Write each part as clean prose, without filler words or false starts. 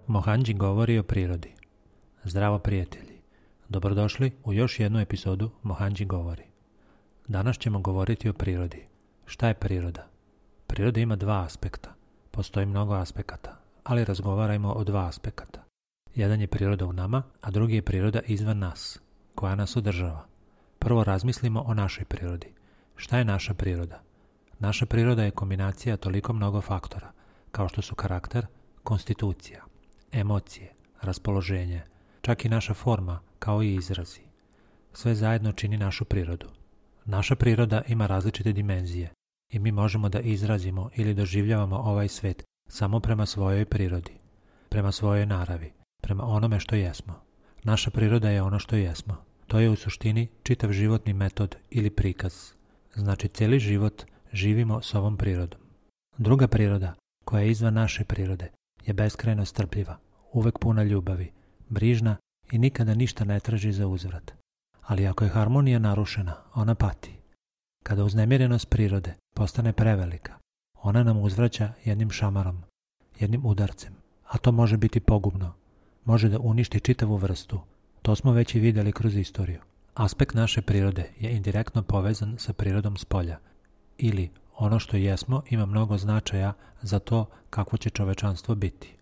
Mohanji govori o prirodi. Zdravo prijatelji, dobrodošli u još jednu epizodu Mohanji govori. Danas ćemo govoriti o prirodi. Šta je priroda? Priroda ima dva aspekta. Postoji mnogo aspekata, ali razgovarajmo o dva aspekata. Jedan je priroda u nama, a drugi je priroda izvan nas, koja nas održava. Prvo razmislimo o našoj prirodi. Šta je naša priroda? Naša priroda je kombinacija toliko mnogo faktora, kao što su karakter, konstitucija, emocije, raspoloženje, čak i naša forma, kao i izrazi. Sve zajedno čini našu prirodu. Naša priroda ima različite dimenzije i mi možemo da izrazimo ili doživljavamo ovaj svet samo prema svojoj prirodi, prema svojoj naravi, prema onome što jesmo. Naša priroda je ono što jesmo. To je u suštini čitav životni metod ili prikaz. Znači, cijeli život živimo s ovom prirodom. Druga priroda, koja je izvan naše prirode, je beskrajno strpljiva, uvek puna ljubavi, brižna i nikada ništa ne traži za uzvrat. Ali ako je harmonija narušena, ona pati. Kada uznemirenost prirode postane prevelika, ona nam uzvraća jednim šamarom, jednim udarcem, a to može biti pogubno. Može da uništi čitavu vrstu. To smo već i vidjeli kroz istoriju. Aspekt naše prirode je indirektno povezan sa prirodom spolja. Ili ono što jesmo ima mnogo značaja za to kakvo će čovečanstvo biti.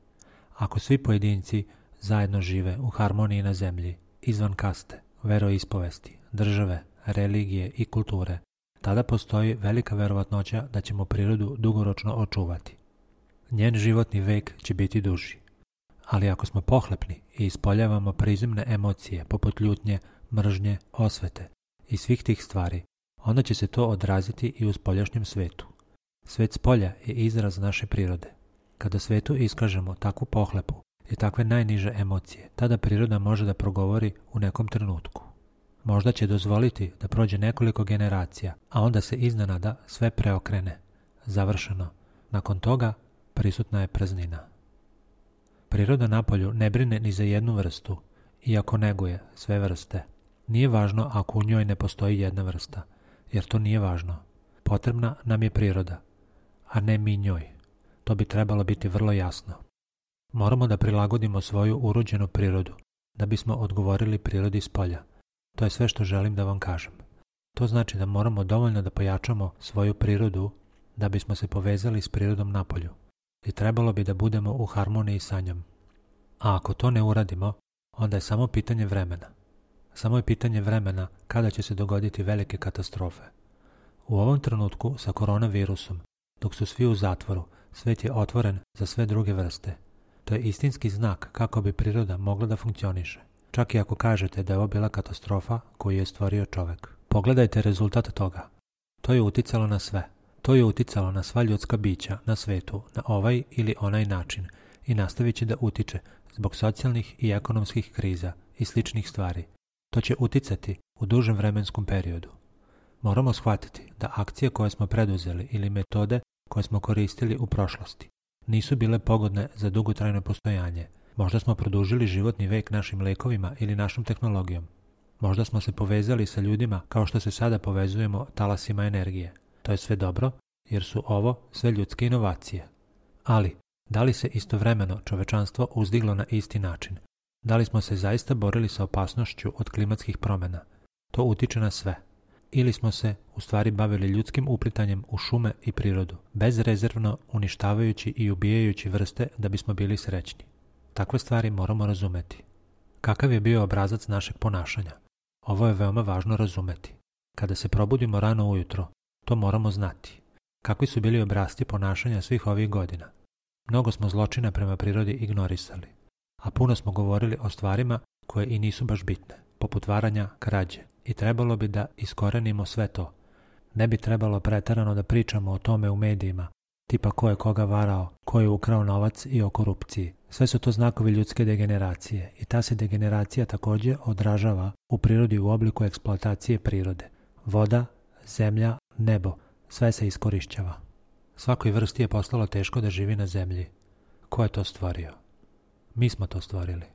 Ako svi pojedinci zajedno žive u harmoniji na zemlji, izvan kaste, veroispovesti, države, religije i kulture, tada postoji velika verovatnoća da ćemo prirodu dugoročno očuvati. Njen životni vek će biti duži. Ali ako smo pohlepni i ispoljavamo prizemne emocije poput ljutnje, mržnje, osvete i svih tih stvari, onda će se to odraziti i u spoljašnjem svetu. Svet spolja je izraz naše prirode. Kada svetu iskažemo takvu pohlepu i takve najniže emocije, tada priroda može da progovori u nekom trenutku. Možda će dozvoliti da prođe nekoliko generacija, a onda se iznenada sve preokrene. Završeno. Nakon toga prisutna je praznina. Priroda napolju ne brine ni za jednu vrstu, iako neguje sve vrste. Nije važno ako u njoj ne postoji jedna vrsta, jer to nije važno. Potrebna nam je priroda, a ne mi njoj. To bi trebalo biti vrlo jasno. Moramo da prilagodimo svoju urođenu prirodu, da bismo odgovorili prirodi spolja. To je sve što želim da vam kažem. To znači da moramo dovoljno da pojačamo svoju prirodu da bismo se povezali s prirodom napolju. I trebalo bi da budemo u harmoniji sa njom. A ako to ne uradimo, onda je samo pitanje vremena. Samo je pitanje vremena kada će se dogoditi velike katastrofe. U ovom trenutku sa koronavirusom, dok su svi u zatvoru, svet je otvoren za sve druge vrste. To je istinski znak kako bi priroda mogla da funkcioniše. Čak i ako kažete da je ovo bila katastrofa koju je stvorio čovek. Pogledajte rezultat toga. To je uticalo na sve. To je uticalo na sva ljudska bića na svetu na ovaj ili onaj način i nastavit će da utiče zbog socijalnih i ekonomskih kriza i sličnih stvari. To će uticati u dužem vremenskom periodu. Moramo shvatiti da akcije koje smo preduzeli ili metode koje smo koristili u prošlosti nisu bile pogodne za dugotrajno postojanje. Možda smo produžili životni vek našim lekovima ili našom tehnologijom. Možda smo se povezali sa ljudima kao što se sada povezujemo talasima energije. To je sve dobro, jer su ovo sve ljudske inovacije. Ali, da li se istovremeno čovečanstvo uzdiglo na isti način? Da li smo se zaista borili sa opasnošću od klimatskih promjena? To utiče na sve. Ili smo se u stvari bavili ljudskim uplitanjem u šume i prirodu, bezrezervno uništavajući i ubijajući vrste da bismo bili srećni. Takve stvari moramo razumeti. Kakav je bio obrazac našeg ponašanja? Ovo je veoma važno razumeti. Kada se probudimo rano ujutro, to moramo znati. Kakvi su bili obrasci ponašanja svih ovih godina? Mnogo smo zločina prema prirodi ignorisali, a puno smo govorili o stvarima koje i nisu baš bitne, poput varanja, krađe, i trebalo bi da iskorenimo sve to. Ne bi trebalo preterano da pričamo o tome u medijima, tipa ko je koga varao, ko je ukrao novac i o korupciji. Sve su to znakovi ljudske degeneracije i ta se degeneracija također odražava u prirodi u obliku eksploatacije prirode. Voda, zemlja, nebo, sve se iskorišćava. Svakoj vrsti je postalo teško da živi na zemlji. Ko je to stvorio? Mi smo to stvorili.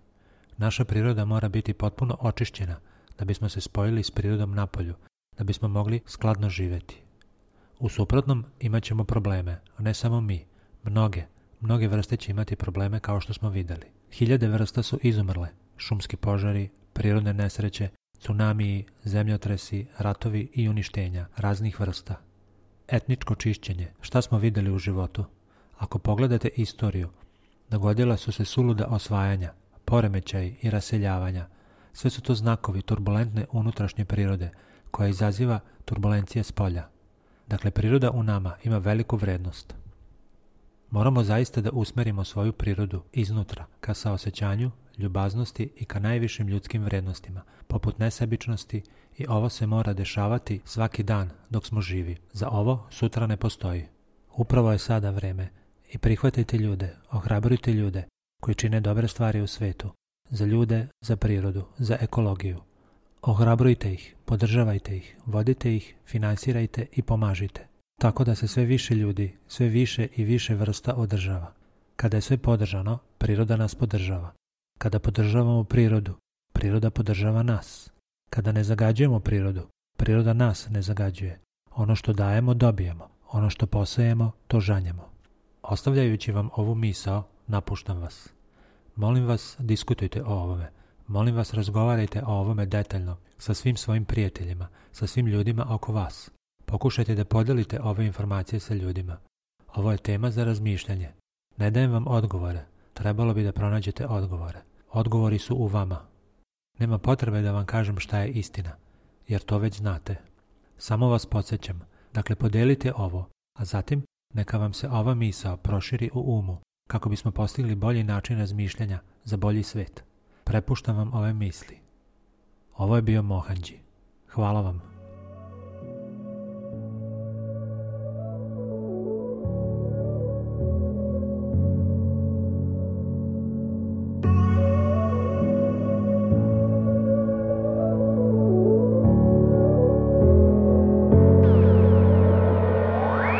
Naša priroda mora biti potpuno očišćena da bismo se spojili s prirodom napolju, da bismo mogli skladno živjeti. U suprotnom imat ćemo probleme, a ne samo mi. Mnoge vrste će imati probleme kao što smo vidjeli. Hiljade vrsta su izumrle, šumski požari, prirodne nesreće, tsunamiji, zemljotresi, ratovi i uništenja raznih vrsta. Etničko čišćenje, šta smo vidjeli u životu? Ako pogledate istoriju, dogodila su se suluda osvajanja, poremećaji i raseljavanja. Sve su to znakovi turbulentne unutrašnje prirode, koja izaziva turbulencije s polja. Dakle, priroda u nama ima veliku vrednost. Moramo zaista da usmerimo svoju prirodu iznutra ka saosećanju, ljubaznosti i ka najvišim ljudskim vrednostima, poput nesebičnosti, i ovo se mora dešavati svaki dan dok smo živi. Za ovo sutra ne postoji. Upravo je sada vreme i prihvatite ljude, ohrabrujte ljude koji čine dobre stvari u svetu, za ljude, za prirodu, za ekologiju. Ohrabrujte ih, podržavajte ih, vodite ih, finansirajte i pomažite. Tako da se sve više ljudi, sve više i više vrsta održava. Kada je sve podržano, priroda nas podržava. Kada podržavamo prirodu, priroda podržava nas. Kada ne zagađujemo prirodu, priroda nas ne zagađuje. Ono što dajemo, dobijemo. Ono što posejemo, to žanjemo. Ostavljajući vam ovu misao, napuštam vas. Molim vas, diskutujte o ovome. Molim vas, razgovarajte o ovome detaljno sa svim svojim prijateljima, sa svim ljudima oko vas. Pokušajte da podelite ove informacije sa ljudima. Ovo je tema za razmišljanje. Ne dajem vam odgovore. Trebalo bi da pronađete odgovore. Odgovori su u vama. Nema potrebe da vam kažem šta je istina, jer to već znate. Samo vas podsjećam. Dakle, podelite ovo, a zatim neka vam se ova misao proširi u umu, kako bismo postigli bolji način razmišljanja za bolji svet. Prepuštam vam ove misli. Ovo je bio Mohanđi. Hvala vam.